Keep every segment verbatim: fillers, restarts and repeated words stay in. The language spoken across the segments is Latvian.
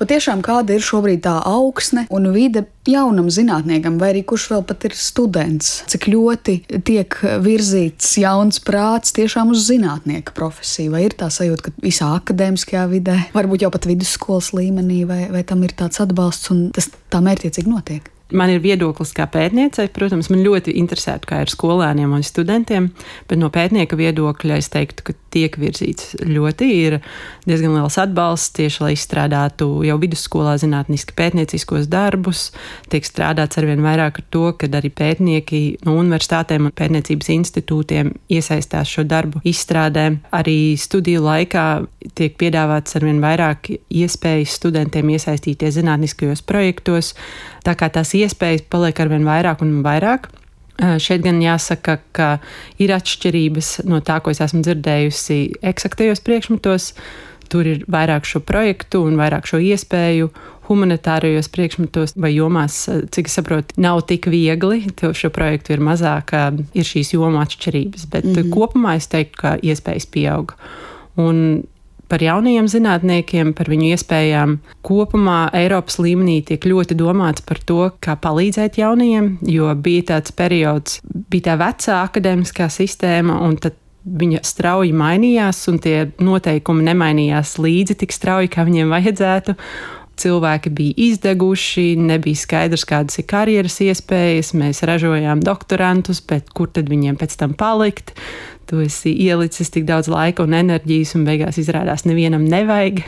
Patiešām kāda ir šobrīd tā augsne un vide jaunam zinātniekam, vai arī kurš vēl pat ir students? Cik ļoti tiek virzīts jauns prāts tiešām uz zinātnieka profesiju? Vai ir tā sajūta, ka visā akadēmiskajā vidē, varbūt jau pat vidusskolas līmenī, vai, vai tam ir tāds atbalsts un tas tā mērķiecīgi notiek? Man ir viedoklis kā pētniecei, protams, man ļoti interesētu, kā ir skolēniem un studentiem, bet no pētnieka viedokļa es teiktu, ka tiek virzīts ļoti, ir diezgan liels atbalsts tieši, lai izstrādātu jau vidusskolā zinātniski pētnieciskos darbus, tiek strādāts arvien vairāk ar to, kad arī pētnieki no universitātēm un pētniecības institūtiem iesaistās šo darbu izstrādē. Arī studiju laikā tiek piedāvāts arvien vairāk iespējas studentiem iesaistīties zinātniskajos projektos, tā kā tās iespējas paliek arvien vairāk un vairāk. Šeit gan jāsaka, ka ir atšķirības no tā, ko es esmu dzirdējusi eksaktajos priekšmetos. Tur ir vairāk šo projektu un vairāk šo iespēju. Humanitārajos priekšmetos vai jomās, cik es saprotu, nav tik viegli. Tev šo projektu ir mazāk, ir šīs jomu atšķirības. Bet mm-hmm. kopumā es teiktu, ka iespējas pieaug. Un par jaunajiem zinātniekiem, par viņu iespējām. Kopumā Eiropas līmenī tiek ļoti domāts par to, kā palīdzēt jaunajiem, jo bija tāds periods, bija tā vecā akadēmiskā sistēma, un tad viņa strauji mainījās, un tie noteikumi nemainījās līdzi tik strauji, kā viņiem vajadzētu. Cilvēki bija izdeguši, nebija skaidrs, kādas ir karjeras iespējas, mēs ražojām doktorantus, bet kur tad viņiem pēc tam palikt? Tu esi ielicis tik daudz laika un enerģijas, un beigās izrādās nevienam nevajag.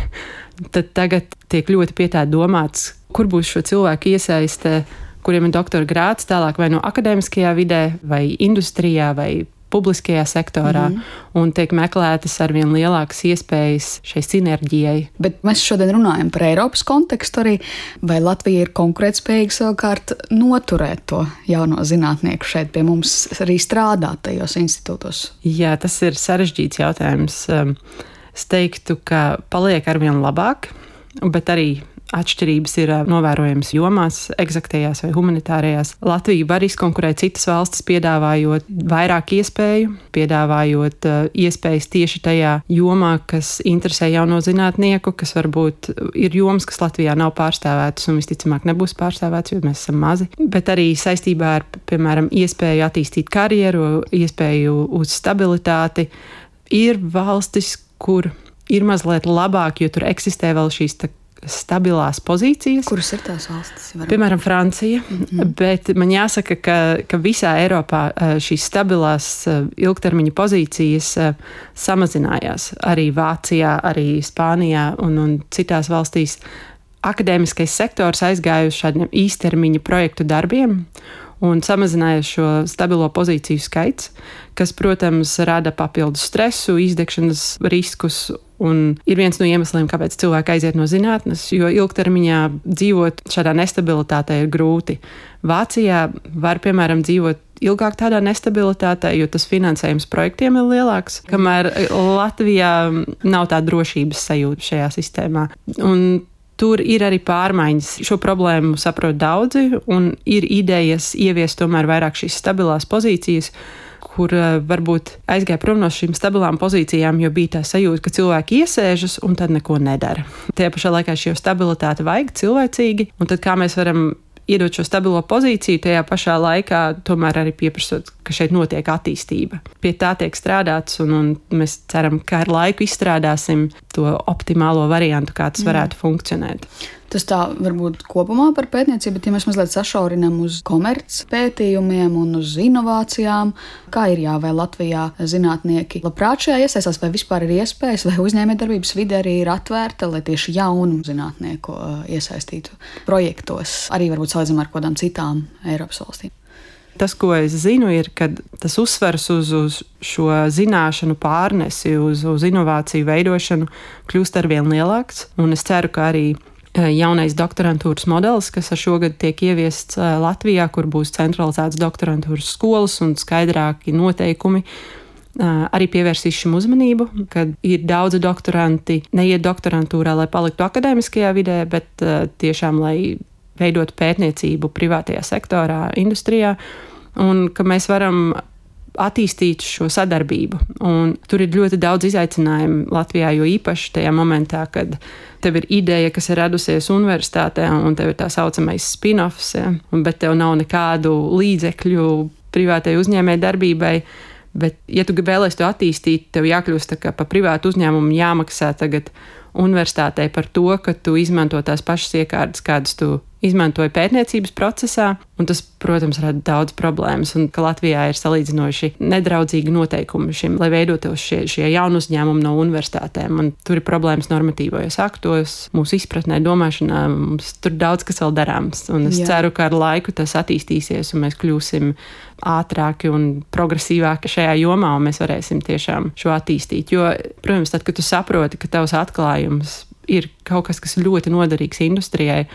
Tad tagad tiek ļoti pie tā domāts, kur būs šo cilvēku iesaiste, kuriem ir doktora grāds tālāk vai no akadēmiskajā vidē, vai industrijā, vai publiskajā sektorā, mm. un tiek meklētas arvien lielākas iespējas šai sinerģijai. Bet mēs šodien runājam par Eiropas kontekstu arī, vai Latvija ir konkurētspējīga savukārt noturēt to jauno zinātnieku šeit pie mums arī strādāt tajos institūtos? Jā, tas ir sarežģīts jautājums. Es teiktu, ka paliek arvien labāk, bet arī atšķirības ir novērojamas jomās, eksaktajās vai humanitārajās. Latvija var izkonkurēt citas valstis, piedāvājot vairāk iespēju, piedāvājot iespējas tieši tajā jomā, kas interesē jauno zinātnieku, kas varbūt ir jomas, kas Latvijā nav pārstāvētas un visticamāk nebūs pārstāvētas, jo mēs esam mazi. Bet arī saistībā ar, piemēram, iespēju attīstīt karjeru, iespēju uz stabilitāti, ir valstis, kur ir mazliet labāk, jo tur eksistē vēl šīs tā stabilās pozīcijas. Kuras ir tās valstis? Varam? Piemēram, Francija, mm-hmm. bet man jāsaka, ka, ka visā Eiropā šīs stabilās ilgtermiņa pozīcijas samazinājās. Arī Vācijā, arī Spānijā un, un citās valstīs akadēmiskais sektors aizgāja uz šādiem īstermiņa projektu darbiem un samazinājās šo stabilo pozīciju skaits, kas, protams, rada papildus stresu, izdegšanas riskus. Un ir viens no iemesliem, kāpēc cilvēki aiziet no zinātnes, jo ilgtermiņā dzīvot šādā nestabilitātē ir grūti. Vācijā var, piemēram, dzīvot ilgāk tādā nestabilitātē, jo tas finansējums projektiem ir lielāks, kamēr Latvijā nav tā drošības sajūta šajā sistēmā. Un tur ir arī pārmaiņas. Šo problēmu saprot daudzi, un ir idejas ieviest tomēr vairāk šīs stabilās pozīcijas, kur varbūt aizgāja prom no šīm stabilām pozīcijām, jo bija tā sajūta, ka cilvēki iesēžas un tad neko nedara. Tajā pašā laikā šo stabilitāti vajag cilvēcīgi, un tad kā mēs varam iedot šo stabilo pozīciju, tajā pašā laikā tomēr arī pieprasot, ka šeit notiek attīstība. Pie tā tiek strādāts, un, un mēs ceram, ka ar laiku izstrādāsim to optimālo variantu, kā tas varētu mm. funkcionēt. Tas tā varbūt kopumā par pētniecību, bet ja mēs mazliet sašaurinam uz komerc pētījumiem un uz inovācijām, kā ir jā, vai Latvijā zinātnieki labprāt šajā iesaistās, vai vispār ir iespējas, vai uzņēmējdarbības vide arī ir atvērta, lai tieši jaunu zinātnieku iesaistītu projektos, arī varbūt salīdzinām ar kādām citām Eiropas valstīm? Tas, ko es zinu, ir, ka tas uzsvers uz, uz šo zināšanu pārnesi, uz, uz inovāciju veidošanu kļūst arvien lielāks, un es ceru, ka arī jaunais doktorantūras modelis, kas šogad tiek ieviests Latvijā, kur būs centralizēts doktorantūras skolas un skaidrāki noteikumi, arī pievērsīs šim uzmanību, kad ir daudzi doktoranti neiet doktorantūrā, lai paliktu akadēmiskajā vidē, bet tiešām, lai veidotu pētniecību privātajā sektorā, industrijā, un ka mēs varam attīstīt šo sadarbību. Un tur ir ļoti daudz izaicinājumu Latvijā, jo īpaši tajā momentā, kad tev ir ideja, kas ir radusies universitātē, un tev ir tā saucamais spin-offs, ja, bet tev nav nekādu līdzekļu privātai uzņēmēji darbībai. Bet, ja tu vēlies to attīstīt, tev jākļūst tā kā pa privātu uzņēmumu jāmaksā tagad universitātei par to, ka tu izmanto tās pašas iekārtas, kādas tu izmantoji pētniecības procesā, un tas, protams, rada daudz problēmas, un ka Latvijā ir salīdzinoši nedraudzīgi noteikumi šim, lai veidotos šie, šie jaunu uzņēmumi no universitātēm, un tur ir problēmas normatīvajos aktos, mūsu izpratnē, domāšanā, mums tur daudz kas vēl darāms, un es Jā. ceru, ka ar laiku tas attīstīsies, un mēs kļūsim ātrāki un progresīvāki šajā jomā, un mēs varēsim tiešām šo attīstīt, jo, protams, tad, kad tu saproti, ka tavs atklājums ir kaut kas, kas ļoti noderīgs industrijai,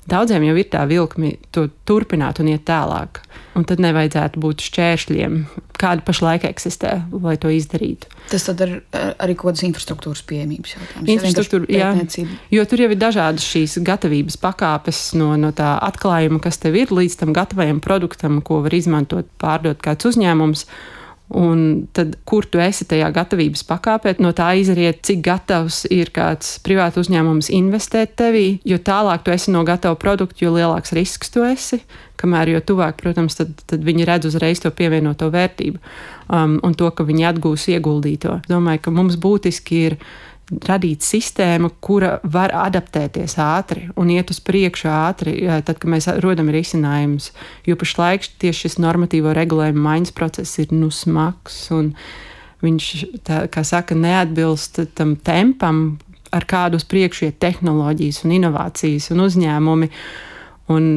daudziem jau ir tā vilkme to turpināt un iet tālāk. Un tad nevajadzētu būt šķēršļiem, kāda pašlaik eksistē, lai to izdarītu. Tas tad ir arī kaut kādas infrastruktūras pieejamības jautājums. Infrastruktūra, jā, jo tur jau ir dažādas šīs gatavības pakāpes no, no tā atklājuma, kas tev ir, līdz tam gatavajam produktam, ko var izmantot, pārdot kāds uzņēmums. Un tad, kur tu esi tajā gatavības pakāpē, no tā izriet, cik gatavs ir kāds privātu uzņēmums investēt tevī, jo tālāk tu esi no gatava produktu, jo lielāks risks tu esi, kamēr jo tuvāk, protams, tad, tad viņi redz uzreiz to pievienoto vērtību um, un to, ka viņi atgūs ieguldīto. Domāju, ka mums būtiski ir radīt sistēmu, kura var adaptēties ātri un iet uz priekšu ātri, tad, kad mēs rodam risinājumus. Jo pašlaik tieši šis normatīvo regulējumu maiņas process ir nu smags, un viņš, tā, kā saka, neatbilst tam tempam, ar kādu uz priekšu iet tehnoloģijas un inovācijas un uzņēmumi. Un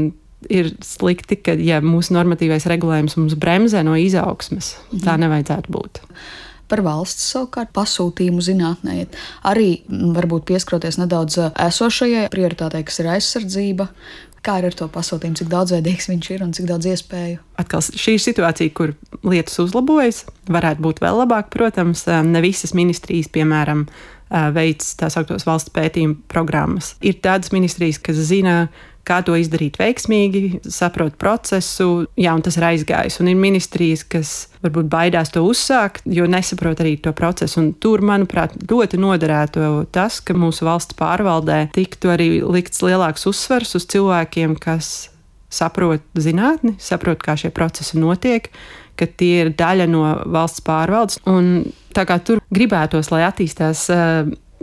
ir slikti, ka ja mūsu normatīvais regulējums mums bremzē no izaugsmes. Mhm. Tā nevajadzētu būt. Par valsts savukārt pasūtījumu zinātnē. Arī varbūt pieskaroties nedaudz esošajai prioritātei, kas ir aizsardzība. Kā ir ar to pasūtījumu, cik daudzveidīgs viņš ir un cik daudz iespēju? Atkal šī ir situācija, kur lietas uzlabojas. Varētu būt vēl labāk, protams. Ne visas ministrijas, piemēram, veic tā sauktos valsts pētījumu programmas. Ir tādas ministrijas, kas zina, kā to izdarīt veiksmīgi, saprot procesu, jā, un tas ir aizgājis. Un ir ministrijas, kas varbūt baidās to uzsākt, jo nesaprot arī to procesu. Un tur, manuprāt, ļoti noderētu tas, ka mūsu valsts pārvaldē tiktu arī likts lielāks uzsvers uz cilvēkiem, kas saprot zinātni, saprot, kā šie procesi notiek, ka tie ir daļa no valsts pārvaldes. Un tā kā tur gribētos, lai attīstās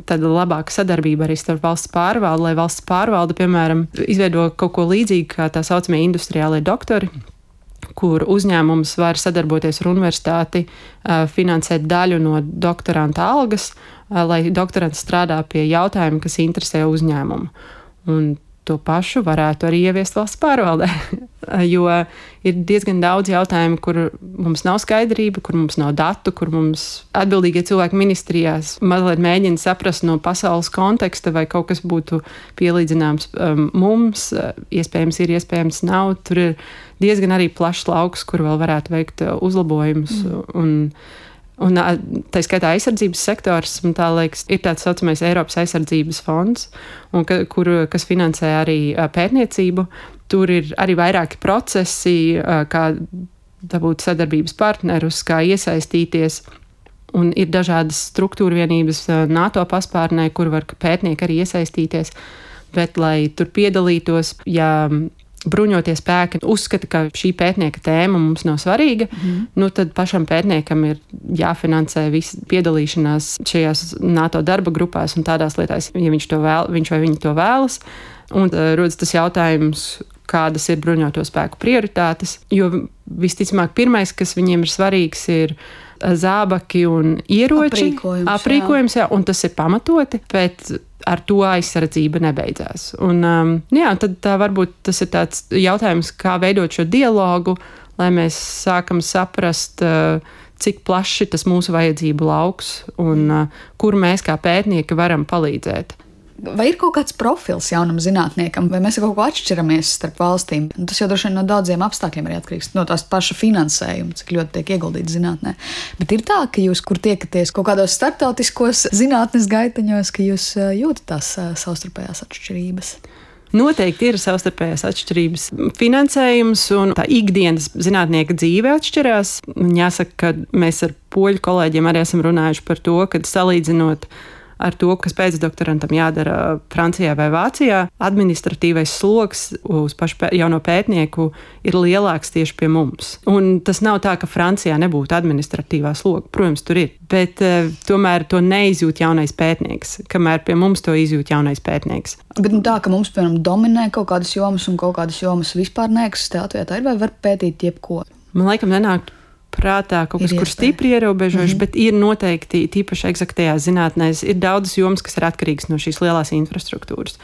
tāda labāka sadarbība arī starp valsts pārvaldi, lai valsts pārvalde, piemēram, izveido kaut ko līdzīgu kā tā saucamie industriālie doktori, kur uzņēmums var sadarboties ar universitāti, finansēt daļu no doktoranta algas, lai doktorants strādā pie jautājuma, kas interesē uzņēmumu. Un to pašu varētu arī ieviest valsts pārvaldē, jo ir diezgan daudz jautājumu, kur mums nav skaidrība, kur mums nav datu, kur mums atbildīgie cilvēki ministrijās mazliet mēģina saprast no pasaules konteksta, vai kaut kas būtu pielīdzināms um, mums, iespējams ir, iespējams nav. Tur ir diezgan arī plašs lauks, kur vēl varētu veikt uzlabojumus. Mm. Un, Un tā skaitā aizsardzības sektors, man tā liekas, ir tāds saucamais Eiropas aizsardzības fonds, un ka, kur, kas finansē arī pētniecību. Tur ir arī vairāki procesi, kā dabūt sadarbības partnerus, kā iesaistīties. Un ir dažādas struktūra vienības NATO paspārnē, kur var pētnieki arī iesaistīties. Bet, lai tur piedalītos, ja bruņotie spēki uzskata, ka šī pētnieka tēma mums nav svarīga, mm. nu tad pašam pētniekam ir jāfinansē visa piedalīšanās šajās NATO darba grupās un tādās lietās, ja viņš, to vēl, viņš vai viņi to vēlas. Un uh, rodas tas jautājums, kādas ir bruņoto spēku prioritātes, jo visticamāk pirmais, kas viņiem ir svarīgs, ir zābaki un ieroči. Aprīkojums, aprīkojums jā. Jā, un tas ir pamatoti, bet ar to aizsardzība nebeidzās. Un, um, jā, tad tā varbūt tas ir tāds jautājums, kā veidot šo dialogu, lai mēs sākam saprast, uh, cik plaši tas mūsu vajadzību lauks un uh, kur mēs kā pētnieki varam palīdzēt. Vai ir kaut kāds profils jaunam zinātniekam, vai mēs kaut ko atšķiramies starp valstīm? Tas jau droši vien no daudziem apstākļiem arī atkarīgs, no tās paša finansējuma, cik ļoti tiek ieguldīts zinātnē. Bet ir tā, ka jūs, kur tiekaties kaut kādos starptautiskos zinātnes gaiteņos, ka jūs jūtat tās savstarpējās atšķirības? Noteikti ir savstarpējās atšķirības. Finansējums un tā ikdienas zinātnieka dzīve atšķirās. Jāsaka, ka mēs ar poļu kolēģiem arī esam runājuši par to, ka salīdzinot ar to, kas pēcdoktorantam jādara Francijā vai Vācijā, administratīvais sloks uz pašu jauno pētnieku ir lielāks tieši pie mums. Un tas nav tā, ka Francijā nebūtu administratīvā sloga. Protams, tur ir. Bet uh, tomēr to neizjūt jaunais pētnieks, kamēr pie mums to izjūt jaunais pētnieks. Bet nu, tā, ka mums, piemēram, dominē kaut kādas jomas un kaut kādas jomas vispār neeksistē Latvijā, tā ir vai var pētīt jebko? Man laikam nenāk prātā kaut kas, kur stipri ierobežojuši, mm-hmm. bet ir noteikti, tīpaši eksaktajās zinātnēs, ir daudzas jomas, kas ir atkarīgas no šīs lielās infrastruktūras.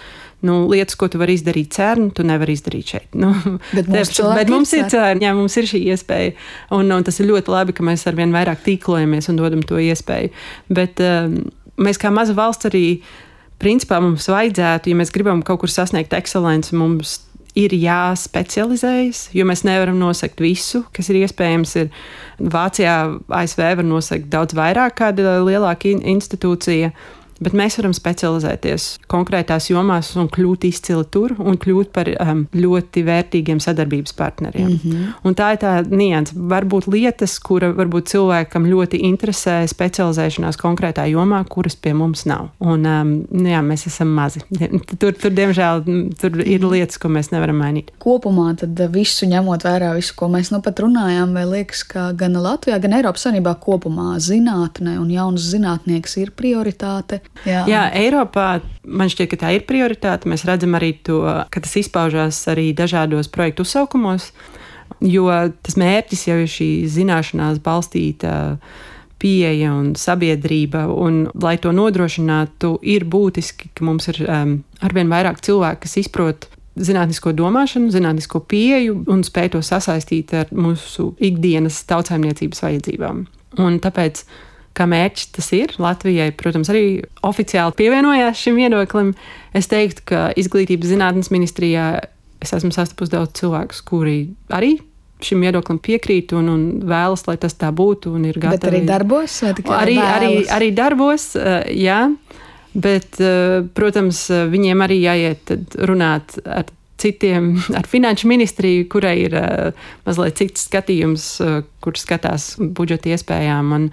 Nu, lietas, ko tu vari izdarīt CERN, tu nevari izdarīt šeit. Nu, bet mums, te, bet mums ir CERN, jā, mums ir šī iespēja. Un, un tas ir ļoti labi, ka mēs arvien vairāk tīklojamies un dodam to iespēju. Bet um, mēs kā maza valsts arī, principā mums vajadzētu, ja mēs gribam kaut kur sasniegt ekscelenci, mums ir jāspecializējas, jo mēs nevaram nosegt visu, kas ir iespējams. Ir Vācijā, A S V var nosegt daudz vairāk kāda lielāka institūcija, bet mēs varam specializēties konkrētās jomās un kļūt izcili tur un kļūt par um, ļoti vērtīgiem sadarbības partneriem. Mm-hmm. Un tā ir tā nianse. Varbūt lietas, kura varbūt cilvēkam ļoti interesē specializēšanās konkrētā jomā, kuras pie mums nav. Un um, jā, mēs esam mazi. Tur, tur diemžēl, tur ir lietas, ko mēs nevaram mainīt. Kopumā tad visu ņemot vērā, visu, ko mēs nu pat runājām, vai liekas, ka gan Latvijā, gan Eiropas Savienībā kopumā zinātne un jaunas zinātnieks ir prioritāte. Jā. Jā, Eiropā man šķiet, ka tā ir prioritāte. Mēs redzam arī to, ka tas izpaužās arī dažādos projektu uzsaukumos, jo tas mērķis jau ir šī zināšanās balstīta pieeja un sabiedrība, un lai to nodrošinātu, ir būtiski, ka mums ir um, arvien vairāk cilvēku, kas izprot zinātnisko domāšanu, zinātnisko pieeju un spēj to sasaistīt ar mūsu ikdienas tautsaimniecības vajadzībām. Un tāpēc kā mērķis tas ir. Latvijai, protams, arī oficiāli pievienojās šim viedoklim. Es teiktu, ka izglītības zinātnes ministrijā es esmu sastapusi daudz cilvēkus, kuri arī šim viedoklim piekrīt un, un vēlas, lai tas tā būtu un ir gatavi. Bet arī darbos? Vai tikai arī, arī, vēlas? arī darbos, jā. Bet, protams, viņiem arī jāiet runāt ar citiem, ar finanšu ministriju, kurai ir mazliet cits skatījums, kur skatās budžeta iespējām. Un,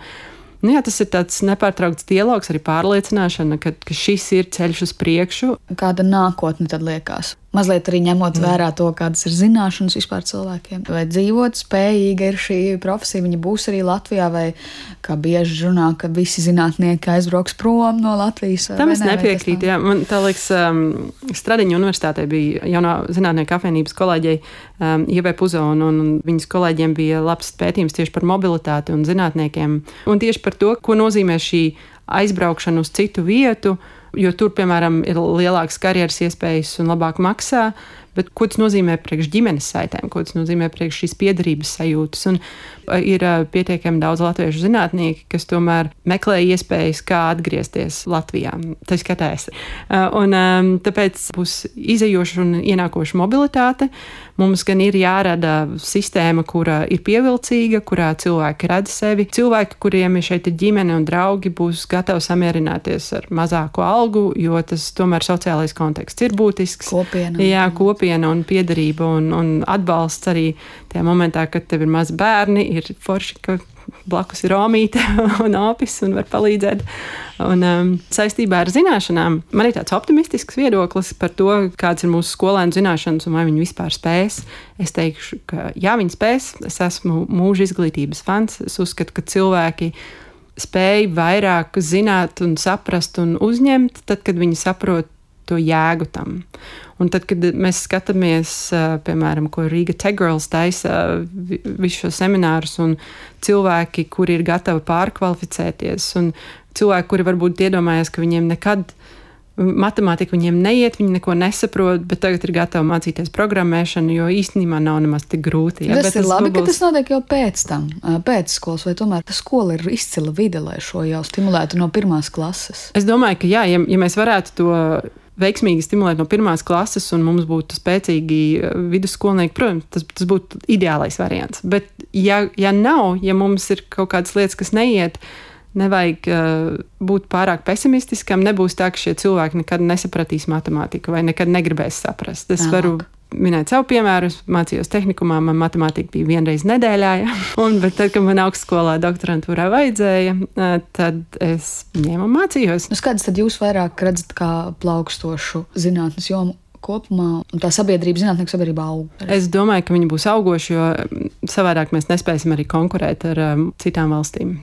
nu jā, tas ir tāds nepārtraukts dialogs, arī pārliecināšana, ka, ka šis ir ceļš uz priekšu. Kāda nākotne tad liekas? Mazliet arī ņemot mm. vērā to, kādas ir zināšanas vispār cilvēkiem. Vai dzīvot spējīga ir šī profesija, viņa būs arī Latvijā, vai kā bieži runā, ka visi zinātnieki aizbrauks prom no Latvijas? Tam es nepiekrītu, jā. Man tā liekas, um, Stradiņu universitātē bija jaunā zinātnieku apvienības kolēģei um, Ievai Puzo, un, un viņas kolēģiem bija labs pētījums tieši par mobilitāti un zinātniekiem. Un tieši par to, ko nozīmē šī aizbraukšana uz citu vietu, jo tur, piemēram, ir lielākas karjeras iespējas un labāk maksā, bet ko tas nozīmē priekš ģimenes saitēm, ko tas nozīmē priekš šīs piederības sajūtas. Un ir pietiekami daudz latviešu zinātnieki, kas tomēr meklē iespējas, kā atgriezties Latvijā. Tā skatās. Un tāpēc būs izejoša un ienākoša mobilitāte. Mums gan ir jārada sistēma, kura ir pievilcīga, kurā cilvēki redz sevi. Cilvēki, kuriem ir šeit ir ģimene un draugi, būs gatavi samierināties ar mazāku algu, jo tas tomēr sociālais konteksts ir būtisks. Kopiena. Jā, kopiena un piederība un, un atbalsts arī tajā momentā, kad tev ir mazi bērni, ir forši, ka blakus ir omīte un opis un var palīdzēt. Un um, saistībā ar zināšanām man ir tāds optimistisks viedoklis par to, kāds ir mūsu skolēnu zināšanas un vai viņi vispār spēs. Es teikšu, ka jā, viņi spēs. Es esmu mūža izglītības fans. Es uzskatu, ka cilvēki spēj vairāk zināt un saprast un uzņemt, tad, kad viņi saprot to jēgu tam. Un tad, kad mēs skatāmies, piemēram, ko Riga Tech Girls taisa visu šo seminārus un cilvēki, kuri ir gatavi pārkvalificēties un cilvēki, kuri varbūt iedomājas, ka viņiem nekad matemātika viņiem neiet, viņi neko nesaprot, bet tagad ir gatavi mācīties programmēšanu, jo īstenībā nav nemaz tik grūti. Ja? Tas bet ir tas labi, būs... ka tas notiek jau pēc tam, pēc skolas, vai tomēr ta skola ir izcila vide, lai šo jau stimulētu no pirmās klases? Es domāju, ka jā, ja, ja mēs varētu to veiksmīgi stimulēt no pirmās klases un mums būtu spēcīgi vidusskolnieki, protams, tas, tas būtu ideālais variants. Bet ja, ja nav, ja mums ir kaut kādas lietas, kas neiet, nevajag uh, būt pārāk pesimistiskam. Nebūs tā, ka šie cilvēki nekad nesapratīs matemātiku vai nekad negribēs saprast. Es Tālāk. varu minēt savu piemēru. Es mācījos tehnikumā, man matemātika bija vienreiz nedēļā. Ja? Un, bet tad, kad man augstskolā doktorantūrā vajadzēja, tad es ņēmu un mācījos. Nu, kādas tad jūs vairāk redzat kā plaukstošu zinātnes jomu kopumā, un tā sabiedrība, zinātnieku sabiedrība aug? Es domāju, ka viņi būs augoši, jo savādāk mēs nespēsim arī konkurēt ar um, citām valstīm.